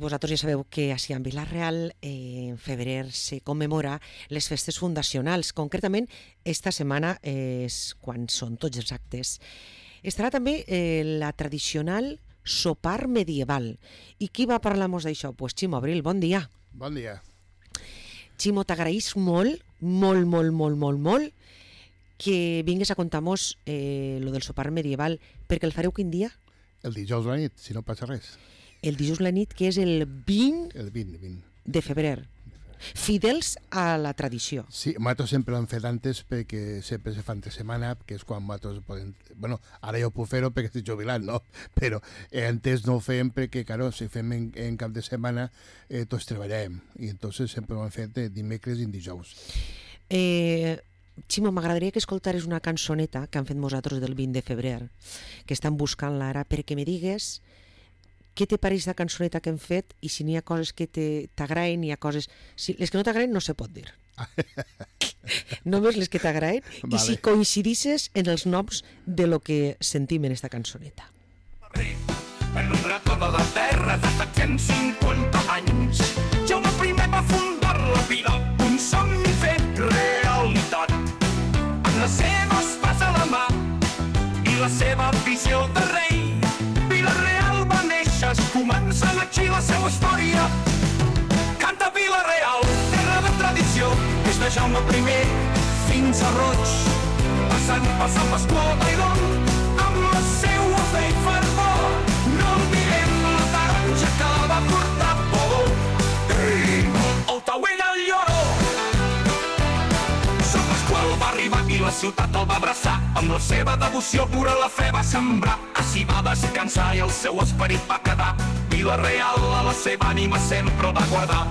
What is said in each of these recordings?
vosaltres ja sabeu que així en Vila-real en febrer se commemora les festes fundacionals. Concretament, esta setmana és quan són tots els actes. Estarà també la tradicional sopar medieval. I qui va parlar-nos d'això? Pues Ximo Abril, bon dia. Bon dia. Ximo, t'agraïs molt que vingues a contar-nos lo del sopar medieval, perquè el fareu quin dia? El dijous a la nit, si no passa res. El dijous a la nit, que és el 20, El 20. de febrer. Fidels a la tradició. Sí, nosaltres sempre l'hem fet antes perquè sempre se fa entre setmana, que és quan nosaltres podem... Bueno, ara ja ho puc fer-ho perquè estic jubilat, no? Però antes no ho fèiem perquè, claro, si fem en cap de setmana, tots treballàvem. I entonces sempre ho hem fet de dimecres i dijous. Ximo, m'agradaria que escoltares una cançoneta que han fet nosaltres del 20 de febrer, que estan buscant-la ara, perquè me digues què te pareix la cançoneta que hem fet i si n'hi ha coses que t'agraden, hi ha coses... Si les que no t'agraden no se pot dir. Només les que t'agraden, vale. I si coincidisses en els noms de lo que sentim en esta cançoneta. Per tota la terra de 750 anys, Jaume I va fundar la vila, un somni fet realitat. Amb les seves pas a la mà i la seva visió de rei, Vila-real va néixer, comença aquí la seva història. Canta Vila-real, terra de tradició, des de Jaume I fins a Roig, passant per Sant Pasqual d'Aidon, amb la seua fe i fervor. No oblidem la taronja que va portar por. El Tauell al lloró. Sant Pasqual va arribar i la ciutat el va abraçar. Amb la seva devoció pura la fe va sembrar. Així va descansar i el seu esperit va quedar. Vila-real a la seva ànima sempre el va guardar.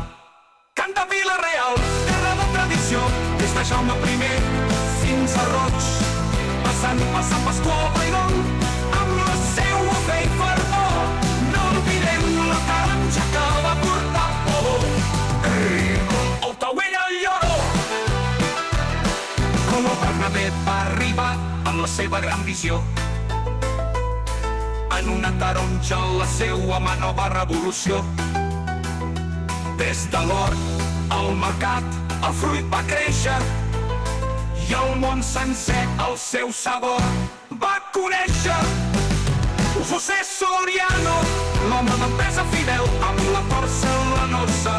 Canta Vila-real, terra de tradició, des de Jaume I fins a Roig, passant per Sant Pasqual d'Aidon, amb la seua fe i fervor. No oblidem la taronja que va portar por. El Tauell al lloró. Com el Bernabé va arribar amb la seva gran visió, en una taronja la seua mà nova revolució. Des de l'hort al mercat el fruit va créixer i el món sencer el seu sabor va conèixer. José Soriano, l'home d'empresa fidel, amb la porcelanosa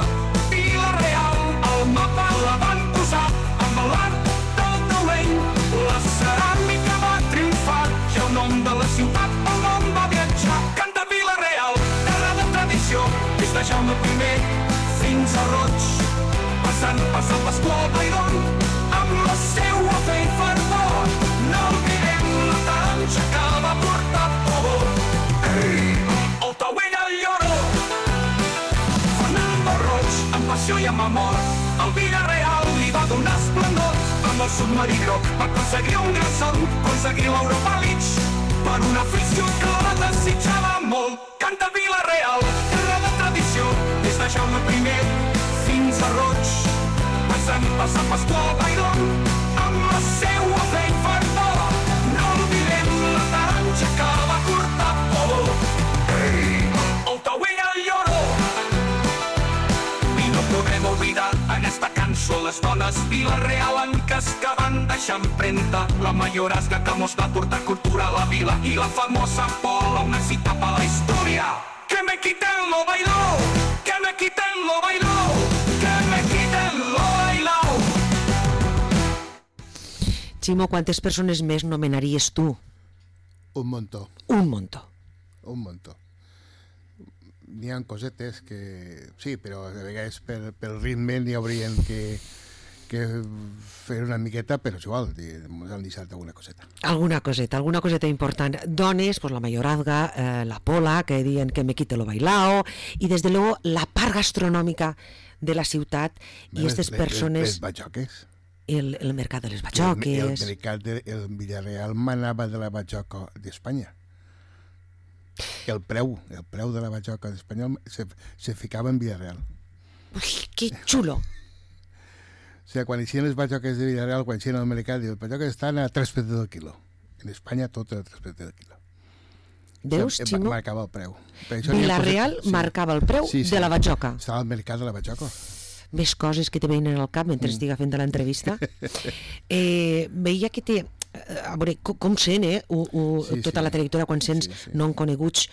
Vila-real al mapa la van posar, amb l'art del taulell la ceràmica va triomfar i el nom de la ciutat el món va viatjar. Canta Vila-real, terra de tradició, des de Jaume I fins a Roig, passant per Sant Pasqual d'Aidon, amb la seua fe i fervor. No oblidem la taronja que va portar por. El Tauell al lloró. Fernando Roig, amb passió i amb amor, el Vila-real li va donar esplendor. Amb el submarí groc va aconseguir un gran salt, aconseguir l'Europa League, per una afició que la desitjava molt. Canta Vila-real, terra de tradició, des de Jaume I fins a Roig, passant per Sant Pasqual d'Aidon, amb la seua fe i fervor. No oblidem la taronja que va portar por. El Tauell al lloró. I no podem oblidar en esta cançó les dones vila-realenques que van deixar empremta. La mayorazga que mos va portar cultura a la vila i la famosa Pola, una cita per la història. Que me quiten lo bailao, que me quiten lo bailao, que me quiten lo bailao. Ximo, quantes persones més nomenaries tu? Un muntó. Un muntó. Un muntó. N'hi ha cosetes que... Sí, però de vegades pel ritme n'hi haurien que fer una miqueta, però és igual, ens han deixat alguna coseta. Alguna coseta important. Dones, pues la mayorazga, la Pola, que diuen que me quite lo bailao, i des de luego la part gastronòmica de la ciutat i aquestes persones... Les batxoques. El mercat de les batxoques. El Villarreal manava de la batxoca d'Espanya. El preu de la batxoca d'Espanyol se ficava en Villarreal. Ui, que xulo! O sigui, quan eixien les batxoques de Villarreal, quan eixien al mercat, les batxoques estan a 3 pesos del quilo. En Espanya tot era 3 pesos del quilo. Veus, Ximo? Marcava el preu. Villarreal marcava el preu de la batjoca. Estava al mercat de la batjoca. Més coses que te veien al cap mentre estiga fent l'entrevista. Veia que té... A veure, com sent, tota la trajectòria, quan sents non coneguts,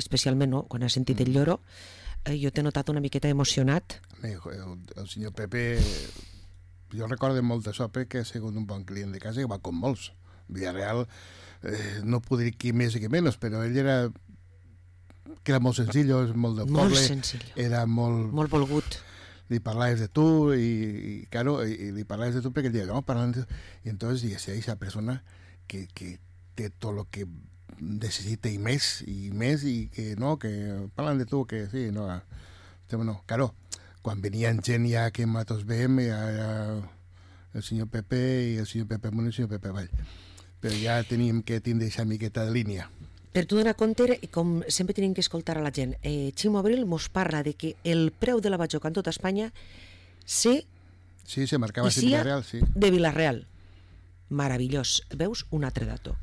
especialment quan has sentit el lloro, jo t'he notat una miqueta emocionat. El senyor Pepe, jo recordo molt d'això perquè ha sigut un bon client de casa i va com molts. Villarreal, no puc dir qui més i qui menys, però ell era molt senzill, molt del poble, era molt volgut. Li parlaves de tu y claro, y li parlaves de tu perquè ell deia, no, parlant de tu. Y entonces dice, esa persona que té tot lo que necessita i més, i que no, que parlant de tu, que sí, no, no. Claro, quan venien gent ja que nosaltres veiem, el senyor Pepe i el senyor Pepe Amunt i el senyor Pepe Avall. Però ja teníem que tindre aquesta miqueta de línia. Per tu donar compte, com sempre tenim que escoltar a la gent, Ximo Abril mos parla de que el preu de la batjoca en tota Espanya se marcava de Villarreal, sí. De Villarreal. Meravellós. Veus? Un altre dato.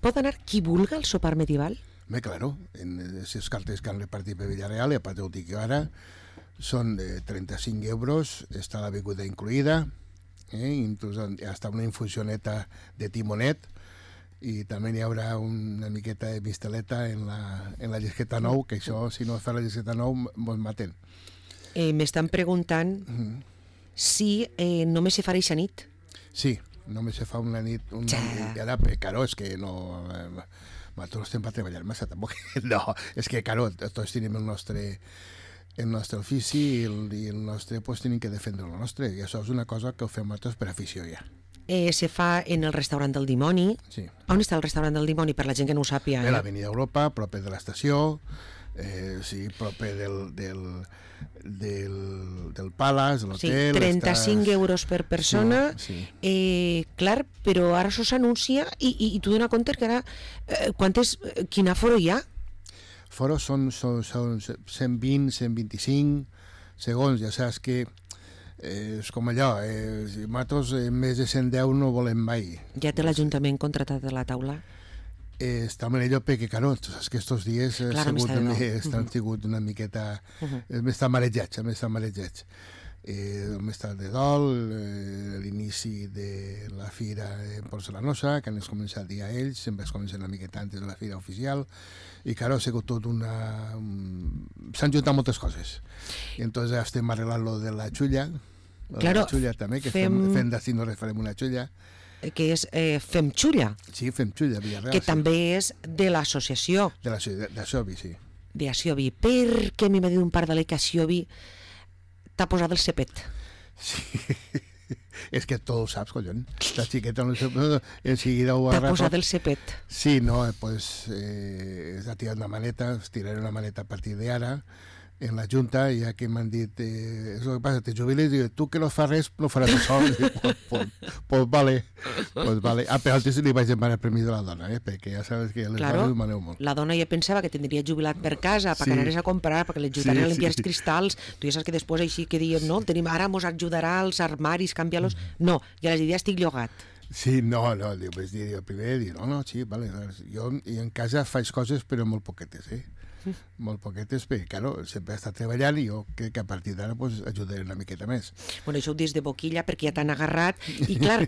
Pot anar qui vulga al sopar medieval? Bé, claro, en les cartes que han repartit per Villarreal, i a part ho dic jo ara, són de 35 euros, està la beguda incluïda, inclús hasta una infusioneta de timonet, i també hi haurà una miqueta de misteleta en la llisqueta 9, que això, si no fa la llisqueta 9, mos maten. M'estan preguntant si només se farà eixa nit. Sí, només se fa una nit. Claro, és que no... Nosaltres estem per treballar massa, tampoc. No, és que, claro, tots tenim el nostre ofici i el nostre, pues, tenim que defendre el nostre, i això és una cosa que ho fem nosaltres per afició ja. Se fa en el restaurant del Dimoni. Sí. On està el restaurant del Dimoni, per la gent que no ho sàpia? A l'Avenida Europa, proper de l'estació, proper del Palace, de l'hotel... Sí, 35 euros per persona, clar, però ara això s'anuncia i tu dones compte que ara, quin aforo hi ha? Foros són 120, 125 segons, ja saps que és com allò, nosaltres més de 110 no volem mai. Ja té l'Ajuntament contratat a la taula? Està millor perquè, claro, saps que estos dies han sigut una miqueta... M'estan marejats, m'està de dol, l'inici de la fira porcelanosa, que han començat el dia ells, sempre es comença una miqueta antes de la fira oficial, i claro, ha sigut tot una... S'han juntat moltes coses. I entonces estem arreglant lo de la xulla, la xulla també, que fem d'ací no res farem una xulla, que és Fem Xulla. Sí, Fem Xulla, Villarreal. Que també és de l'associació. D'Asiobi, sí. D'Asiobi. Perquè a mi m'ha dit un par de que Asiobi t'ha posat el cepet. Sí, és que tu ho saps, collons. La xiqueta enseguida ho t'ha posat el cepet. Sí, no, pues ha tirat una maneta, tiraré una maneta a partir d'ara, en la Junta, ja que m'han dit és el que passa, te jubiles, i tu que no fas res no faràs això. Pues vale. Però antes li vaig demanar permís de la dona, perquè ja sabes que les dones maneu molt. La dona ja pensava que tindria jubilat per casa perquè anares a comprar, perquè li ajudarien a limpiar els cristalls. Tu ja saps que després així que diem, no, ara mos ajudarà als armaris, canviar-los. No, ja les diria estic llogat. Sí, no, primer dir, no, sí, vale, jo en casa faig coses però molt poquetes, molt poquetes, perquè, claro, sempre he estat treballant i jo crec que a partir d'ara pues, ajudaré una miqueta més. Bueno, això ho dius de boquilla perquè ja t'han agarrat i, clar,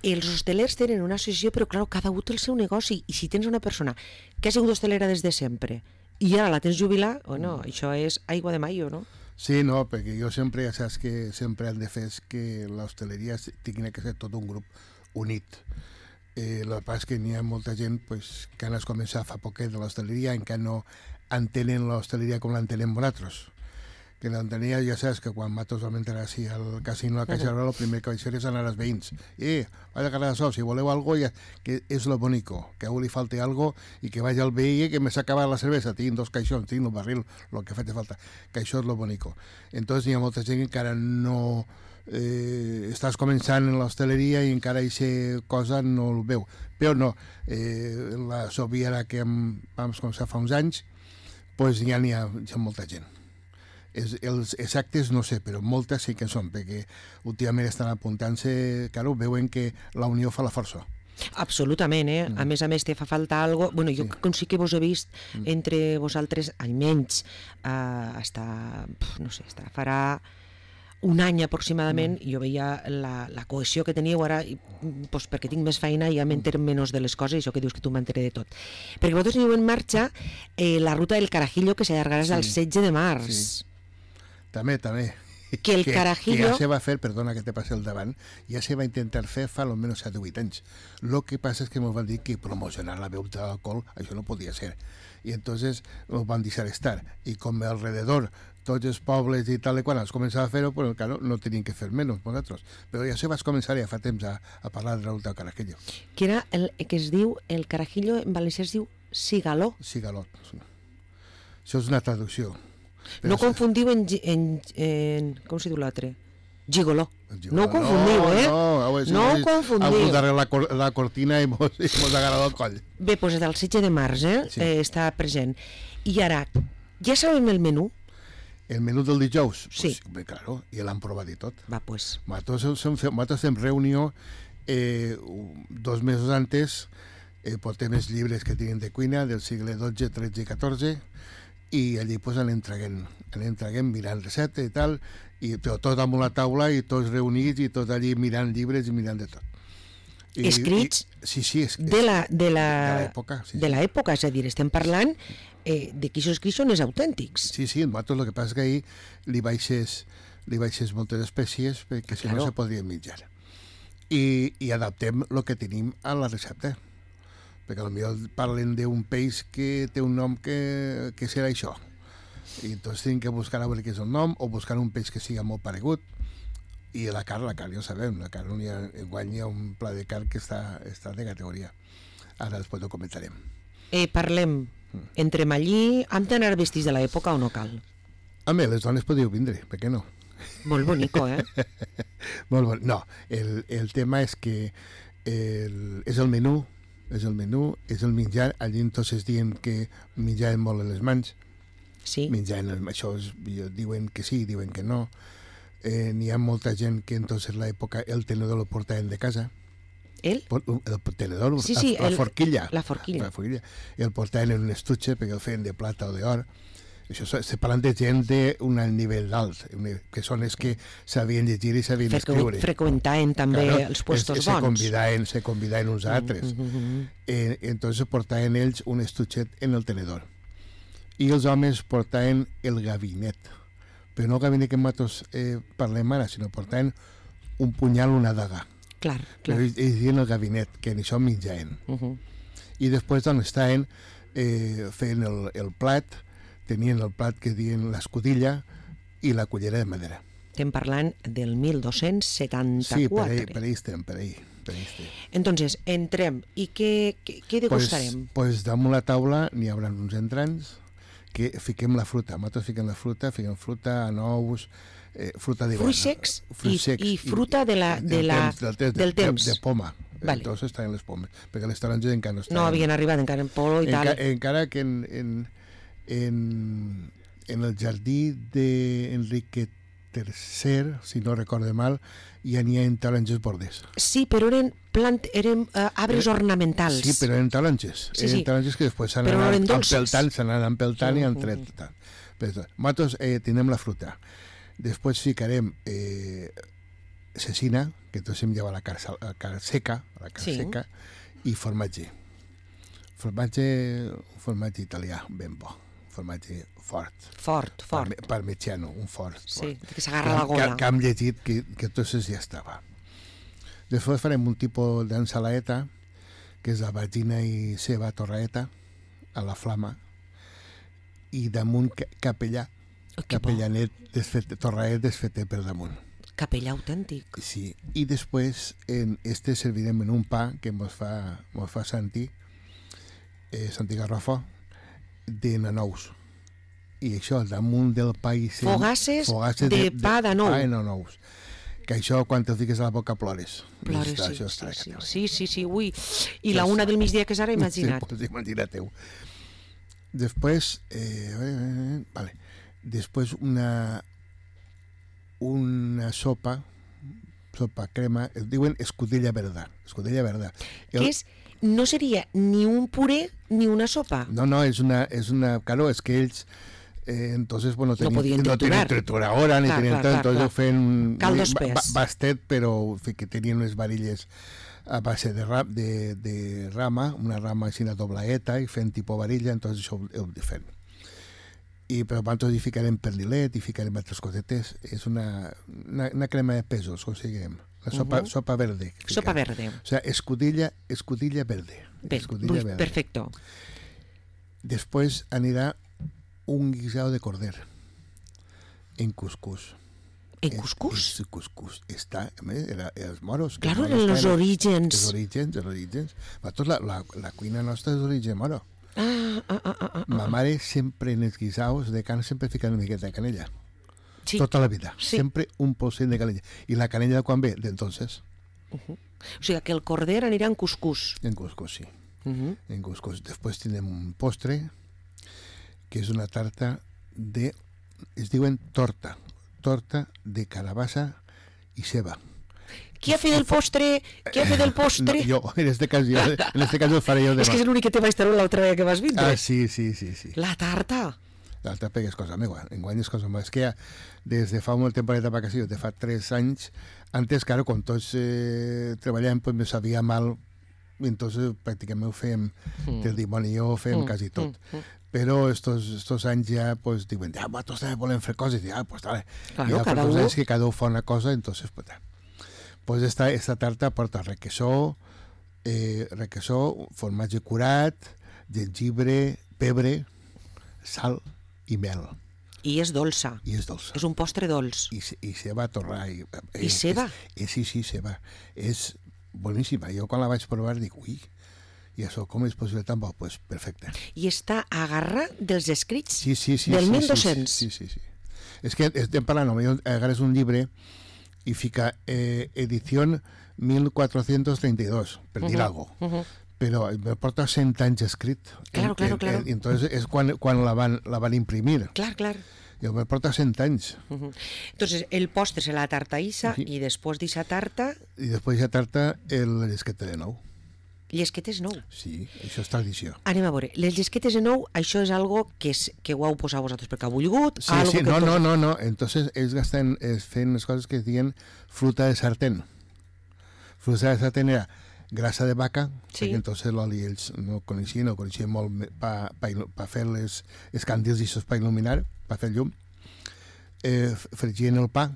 els hostelers tenen una associació, però, clar, cada un té el seu negoci i si tens una persona que ha sigut hostelera des de sempre i ara la tens jubilar, bueno, això és aigua de mayo, no? Sí, no, perquè jo sempre, ja saps que sempre han de fer que l'hostaleria tingui que ser tot un grup unit. El que passa és que n'hi ha molta gent pues, que han començat fa poquet de l'hostaleria encara no entenen l'hostaleria com l'entenem nosaltres. Que l'entenia, ja saps que quan nosaltres vam entrar així al casino a Caixa Rural, el primer que vaig fer és anar als veïns. Vaig a quedar sol, si voleu algo, que és lo bonico, que a algú li falte algo i que vaig al veí que me s'ha acabat la cervesa, tinc 2 caixons, tinc un barril, lo que faci falta, que això és lo bonico. Entonces hi ha molta gent que encara no... estàs començant en l'hostaleria i encara aquesta cosa no el veu. Però no, la sobiera que vam començar fa uns anys, pues ja n'hi ha molta gent. Els exactes no sé, però moltes sí que són, perquè últimament estan apuntant-se, claro, veuen que la unió fa la força. Absolutament, A més a més, te fa falta algo... Bueno, jo sí que vos he vist entre vosaltres, almenys, no sé, farà un any aproximadament, jo veia la cohesió que teníeu ara, doncs perquè tinc més feina i ja m'entero menys de les coses, això que dius que tu m'enteré de tot. Perquè vosaltres teniu en marxa la ruta del Carajillo que s'allargarà al 16 de març. Sí. També. Que el Carajillo... Que ja se va fer, perdona que te passi el davant, ja se va intentar fer fa almenys 7 o 8 anys. Lo que passa és que ens van dir que promocionar la beguda d'alcohol, això no podia ser. I entonces ens van deixar estar. I com alrededor tots els pobles i tal i quan es començava a fer-ho, pues, claro, no tenien que fer menys nosaltres. Però ja se va començar ja fa temps a parlar de la ruta del Carajillo. Que era el que es diu, el Carajillo en valencià es diu Sigaló. Sigaló. Això és una traducció. No confundiu en com se diu l'altre? Gigoló. No ho confundiu, No ho confundiu. Algú la cortina i mos agarrado el coll. Bé, doncs del 16 de març està present. I ara, ja sabem el menú? El menú del dijous? Sí. Pues, claro, i l'han provat i tot. Va, pues. Nosaltres fem reunió 2 mesos antes, portem els llibres que tenen de cuina del segle XII, XIII i XIV, i allí pues entreguem mirant receptes i tal, però tot amb la taula i tots reunits i tots allí mirant llibres i mirant de tot. Escrits sí, de l'època. Sí. De l'època, és a dir, estem parlant de qui s'ho escrits són els autèntics. Sí, nosaltres el que passa és que ahir li baixes moltes espècies perquè si no se podrien menjar. I adaptem el que tenim a la recepta. Perquè potser parlen d'un peix que té un nom que serà això. I tots tenen que buscar a veure què és el nom o buscar un peix que siga molt paregut. I la carn ja ho sabem, la carn guanya un pla de carn que està de categoria. Ara després ho comentarem. Parlem, entrem allí, hem d'anar vestits de l'època o no cal? Home, les dones podeu vindre, per què no? Molt bonico, Molt bon. No, el tema és que és el menú, és el menjar. Allí entonces diuen que menjaven molt en les mans. Sí. Menjaven, això diuen que sí, diuen que no. N'hi ha molta gent que entonces en l'època el tenedor lo portaven de casa. El tenedor, sí, la forquilla. La forquilla. El portaven en un estuche perquè el feien de plata o d'or. Això se parlen de gent d'un nivell alt, que són els que sabien llegir i sabien escriure. Freqüentaven també els puestos bons. Se convidaven uns altres. Entonces portaven ells un estuchet en el tenedor. I els homes portaven el gabinet. Però no el gabinet que nosaltres parlem ara, sinó portaven un punyal, una daga. Clar. Però ells diuen el gabinet, que en això menjaven. I després on estaven feien el plat, tenien el plat que diuen l'escudilla i la cullera de madera. Estem parlant del 1274. Sí, per ahí estem. Entonces, entrem. I què degustarem? Pues damunt la taula n'hi haurà uns entrants que fiquem la fruta. Nosaltres fiquem fruta, nous, fruta d'hivern. Fruits secs i fruta del temps. De poma. Vale. Entonces estaven les pomes, perquè les taronges encara no estaven. No havien arribat encara en polo i tal. Encara que en el jardí d'Enrique III, si no recorde mal, ja n'hi ha taronges bordes. Sí, però eren arbres ornamentals. Sí, però eren taronges. Eren taronges que després s'han anat empeltant i han tret. Nosaltres tenim la fruta. Després ficarem cecina, que tots hem llevat la carn seca, i formatge. Formatge italià, ben bo. Formatge fort. Parmigiano, un fort. Sí, que s'agarra la gola. Que hem llegit que tot ja estava. Després farem un tipus d'ensaladeta, que és vagina i ceba torraeta, a la flama, i damunt capellà, capellanet torraet desfetet per damunt. Capellà autèntic. Sí, i després servirem en un pa que mos fa Santi Garrofo, de nanous. I això damunt del pa i fogasses de pa de nou. Pa de nanous. Que això quan te'l fiques a la boca plores. Sí. Ui. I la una del migdia que és ara, imagina't. Sí, imagina't-ho. Després després una sopa sopa crema, es diuen escudella verda. Escudella verda. Que és, no seria ni un puré ni una sopa. No, es una, claro, es que ells entonces, bueno, no podien no triturar. tenien trituradora, ni tenien tot, entonces ho feien caldo espès. bastet, però que tenien unes varilles a base de rama, una rama així una doblaeta, i fent tipus varilla, entonces això ho fem. I però nosaltres hi ficarem perdilet, hi ficarem altres cosetes, és una crema de pèsols, conseguirem. La sopa verde. Sopa verde. O sea, escudilla verde. Escudilla verde. Perfecto. Después anirà un guisado de corder en cuscús. ¿En cuscús? En cuscús. Está, els moros. Claro, en los orígens. Els orígens. La cuina nostra és d'origen moro. Ma mare sempre en els guisaos de carn sempre fica una miqueta de canella. Sí. Tota la vida. Sí. Sempre un polset de canella. I la canella quan ve? D'entonces. O sigui que el corder anirà en cuscús. En cuscús, sí. En cuscús. Després tenim un postre que és una tarta de... es diuen torta de calabassa i ceba. Qui ha fet el postre? Qui ha fet el postre? No, jo, en este cas ho faré jo demà. És que és l'únic que te vaig treure l'altra vegada que vas vindre. Ah, sí. La tarta. L'altra pega és cosa meva, enguany és cosa meva. És que ja, des de fa una temporada de vacacions, de fa 3 anys, antes, claro, quan tots treballàvem, pues me sabia mal, i entonces pràcticament ho fèiem del dimoni, jo ho fèiem quasi tot. Però estos anys ja, pues, diuen, nosaltres també volem fer coses, i pues dale. Claro, I cada un. és que cada un fa una cosa, entonces, pues esta tarta porta requesó, formatge curat, gengibre, pebre, sal i mel. I és dolça. I és dolça. És un postre dolç. I ceba a torrar. I ceba? Sí, ceba. És boníssima. Jo quan la vaig provar dic, ui, i això com és possible tan bo? Pues perfecte. I està a garra dels escrits sí, del 1200. Sí. És que estem parlant, agarres un llibre i fica edició 1432, per dir alguna cosa. Però me porta 100 anys escrit. Claro. Entonces és quan la van imprimir. Clar. Jo me porta 100 anys. Entonces, el postre serà la tarta Isa i després d'Isa tarta... I després d'Isa tarta, el llesqueta de nou. Llesquetes nou? Sí, això és tradició. Anem a veure, les llesquetes de nou, això és algo que ho heu posat vosaltres perquè ha volgut? Sí, no. Entonces, ells fent les coses que es diuen fruta de sartén. Fruta de sartén era grasa de vaca, perquè entonces l'oli ells no coneixien molt per fer les candils i això per il·luminar, per fer llum. Fregien el pa,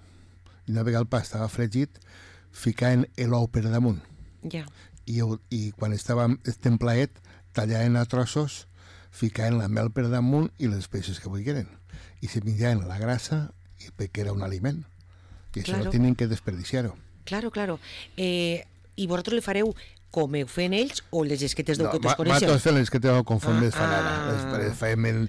i una vegada el pa estava fregit, ficaven l'ou per damunt. Ja. I quan estava templaet, tallaven a trossos, ficaven la mel per damunt i les peixes que volgueren. I se menjaven la grasa perquè era un aliment. I això no tenen que desperdiciar-ho. Claro. I vosaltres li fareu com ho feien ells o les llesquetes d'ou que tots coneixeu? Nosaltres fem les llesquetes d'ou com fem les fan ara. Les fem en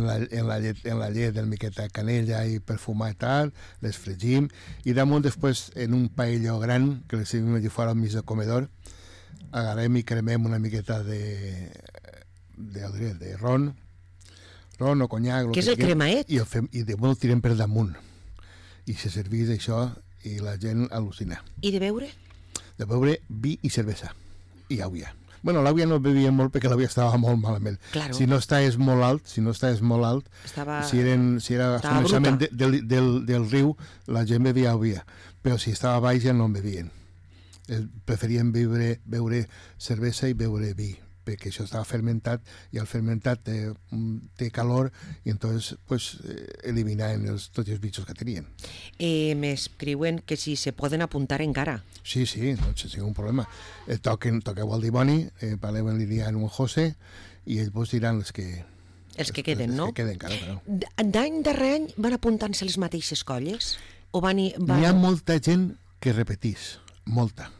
la llet del miqueta de canella i perfumar i tal, les fregim, i damunt després en un paelló gran que les servim allà fora al mig del comedor, agarrem i cremem una miqueta de ron o conyac. Que és el cremaet? I damunt el tirem per damunt. I se servís això i la gent al·lucina. I de beure? De beure vi i cervesa i àvia. Bueno, l'àvia no bevia molt perquè l'àvia estava molt malament. Claro. Si no estaves molt alt, si era al començament del riu, la gent bevia àvia, però si estava baix ja no en bevien. Preferien beure cervesa i beure vi, perquè això estava fermentat i el fermentat té calor i entonces pues, eliminaven tots els bitxos que tenien. M'escriuen que si se poden apuntar encara. Sí, no té ningú problema. Toqueu el dimoni, parleu en l'Ilian o en José i ells vos diran els que queden, no? Els que queden, claro. D'any darrer any van apuntant-se les mateixes colles? N'hi ha molta gent que repetís, molta.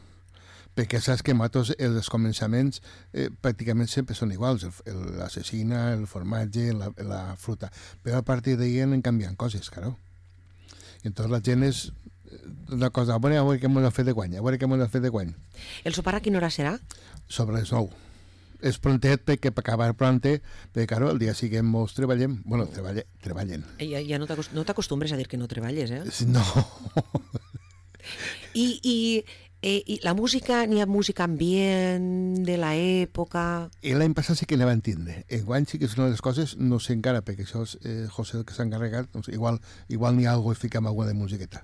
Perquè saps que nosaltres els començaments pràcticament sempre són iguals, l'assassina, el formatge, la fruta, però a partir d'ahir anem canviant coses, claro. I entonces la gent és una cosa, a veure què m'ho han fet de guany, El sopar a quina hora serà? Sobre les 9. És prontet perquè per acabar pronte, perquè claro, el dia siguem molts treballem, bueno, treballen. Ja no t'acostumbres a dir que no treballes, eh? No. I la música, n'hi ha música ambient de l'època... L'any passat sí que anava a entendre. Enguany sí que és una de les coses, no sé encara, perquè això és José el que s'ha encarregat, doncs igual n'hi ha alguna cosa i fiquem alguna de musiqueta.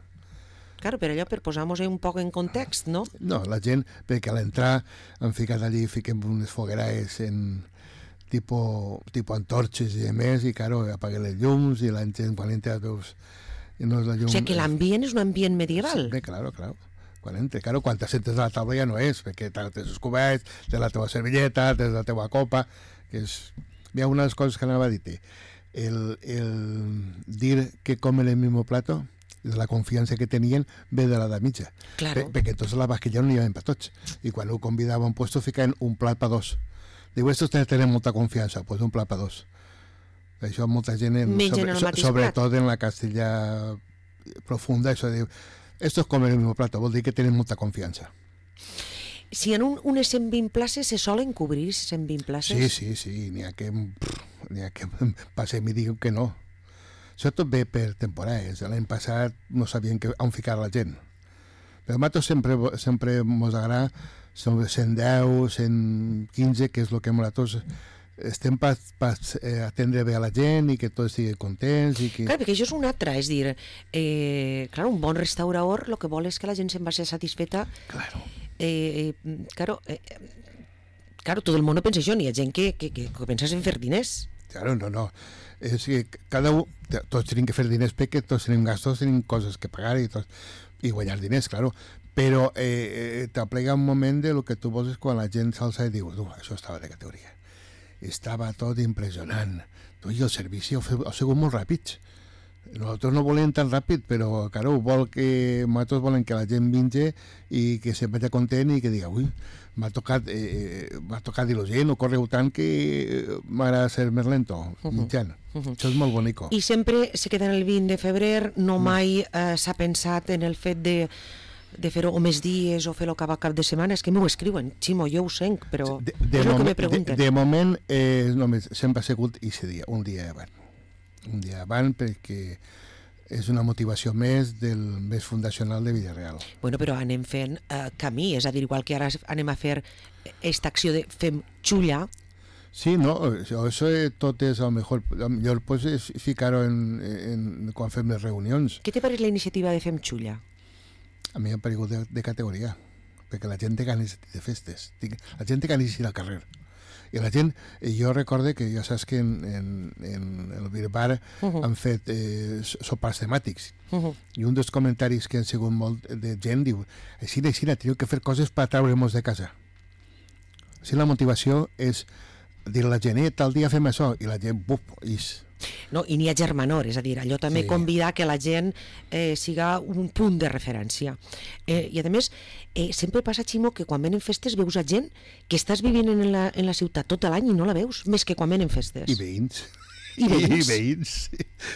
Claro, per allò, per posar-nos un poc en context, no? No, la gent, perquè a l'entrar han ficat allí, fiquem unes fogueraes en tipus antorxes i més, i claro, apaguen les llums i la gent quan entra veus... No és la llum, O sigui que l'ambient és un ambient medieval. Sí, claro. Quan entra, claro, quan t'assentes a la taula ja no és, perquè tens els coberts, tens la teva servilleta, tens la teva copa, que és... Hi ha una de les coses que anava a dir-te. El dir que comen el mismo plato, de la confiança que tenien, ve de l'edat mitja. Claro. Perquè entonces la vaquilla no n'hi havia per tots. I quan ho convidava a un puesto ficaven un plat per dos. Diu, estos tenen molta confiança, pues un plat per dos. Això molta gent, sobretot en la Castella profunda, això diu, estos comen el mismo plato, vol dir que tenen molta confiança. Si en unes 120 places se solen cobrir 120 places? Sí, n'hi ha que passem i diuen que no. Això tot ve per temporades. L'any passat no sabien on ficar la gent. Però a nosaltres sempre ens agrada 110, 115, que és el que nosaltres estem per atendre bé a la gent i que tots estiguin contents. Clar, perquè això és un altre, és dir, clar, un bon restaurador el que vol és que la gent se'n vagi satisfeta. Claro. Claro, tot el món no pensa això, n'hi ha gent que pensa en fer diners. Claro, no. És que tots tenim que fer diners perquè tots tenim gastos, tenim coses que pagar i guanyar diners, claro. Però t'aplega un moment de lo que tu vols quan la gent s'alça i diu, això estava de categoria. Estava tot impressionant. I el servici ha sigut molt ràpid. Nosaltres no volem tan ràpid, però claro, nosaltres volem que la gent vingui i que se'n vagi content i que diga, ui, m'ha tocat il·logent, no correu tant que m'agrada ser més lento, mitjan. Això és molt bonico. I sempre se queda en el 20 de febrer, no mai s'ha pensat en el fet de fer-ho o més dies o fer-ho cada cap de setmana. És que m'ho escriuen, Ximo, jo ho senc, però és el que me pregunten. De moment només sempre ha sigut aquest dia, un dia abans, perquè és una motivació més del mes fundacional de Villareal. Bueno, però anem fent camí, és a dir, igual que ara anem a fer aquesta acció de fem xulla. Sí, no, això tot és el millor pues, és ficar-ho quan fem les reunions. Què te pareix la iniciativa de fem xulla? A mi m'ha paregut de categoria, perquè la gent té ganes de festes, la gent té ganes d'ir al carrer. I la gent, jo recorde que ja saps que en el Birbar han fet sopars temàtics, i un dels comentaris que han sigut molt de gent diu, així, teniu que fer coses per treure-nos de casa. Així la motivació és dir a la gent, tal dia fem això, i la gent, ix. No, i n'hi ha germanor, és a dir, allò també convidar que la gent siga un punt de referència. I a més, sempre passa, Ximo, que quan venen festes veus a gent que estàs vivint en la ciutat tot l'any i no la veus, més que quan venen festes. I veïns.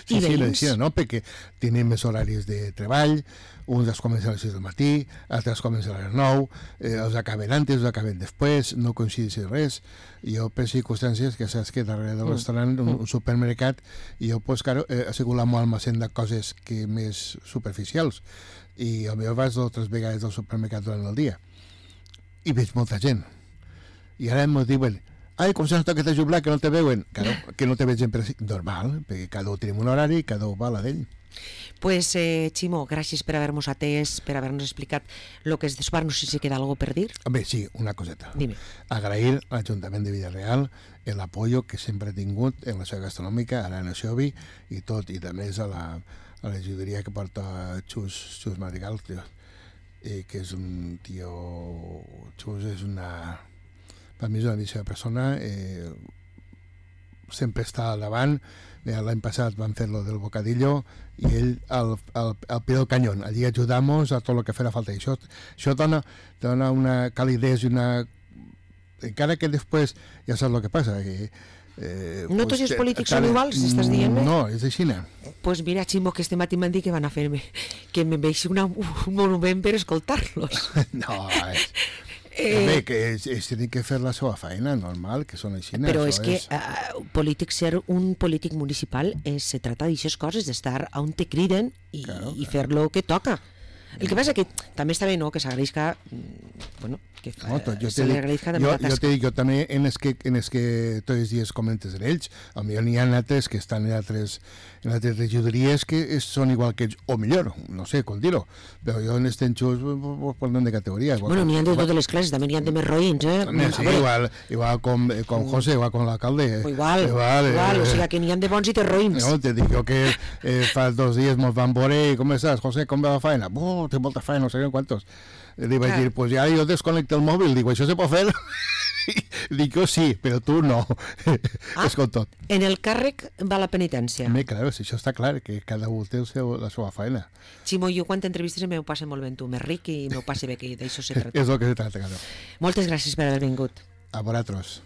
Sí, no? Perquè tenen més horaris de treball, uns els comencen a les 6 del matí, altres comencen a les 9, els acaben antes, els acaben després, no coincideix res. Jo, per circumstàncies, que saps que darrere del restaurant, un supermercat, i jo, pues, claro, ha sigut la molt almacén de coses que més superficials. I potser vaig 2 o 3 vegades al supermercat durant el dia. I veig molta gent. I ara em diuen, ai, com s'ha que t'ha jublat, que no te veuen. Claro, que no te veig sempre normal, perquè cada un tenim un horari i cada un va a la d'ell. Pues, Ximo, gràcies per haver-nos atès, per haver-nos explicat el que és de sopar. No sé si queda alguna per dir. Bé, sí, una coseta. Dime. Agrair a l'Ajuntament de Villareal el apoyo que sempre ha tingut en la seva gastronòmica, a l'Anna Xiovi i tot, i també a la juderia que porta Xus Madrigal, que és un tio... Xus és una... Per mi és una missió de persona, sempre està al davant. L'any passat van fer lo del bocadillo i ell al pie del canyón, allí ajudamos a tot el que farà falta. I això dona una calidez i una... Encara que després ja saps el que passa, que no tots els polítics són iguals, estàs dient-me? No, és així. Pues mira, Ximo, que este matí m'han dit que van a fer-me que me veixi un monument per escoltar-los. No, bé, que ells tenen que fer la seva feina, normal, que són així. Però és que ser un polític municipal se trata d'aixes coses, d'estar on te criden i fer lo que toca. El que passa que també està bé, no?, que s'agraïsca, bueno, que se li agraïsca també la tasca. Jo te dic, jo també en els que tots els dies comentes en ells, potser n'hi ha altres que estan en altres regidories que són igual que ells, o millor, no sé com dir-ho, però jo en els tenxos parlem de categoria. Bueno, n'hi ha de totes les classes, també n'hi ha de més roïns, Sí, igual com José, igual com l'alcalde. Igual, o sigui que n'hi ha de bons i de roïns. No, te dic jo que fa 2 dies mos van veure i com estàs, José, com va la feina? Té molta feina, no sé quantos. Li vaig dir, pues ja jo desconnecto el mòbil, dic, això se pot fer? Dic, jo sí, però tu no. És com tot. En el càrrec va la penitència. Claro, si això està clar, que cada un té la seva feina. Ximo, jo quan t'entrevistes m'ho passe molt bé tu, més ric i m'ho passe bé, que d'això se tracta. És el que se tracta, claro. Moltes gràcies per haver vingut. A vosaltres.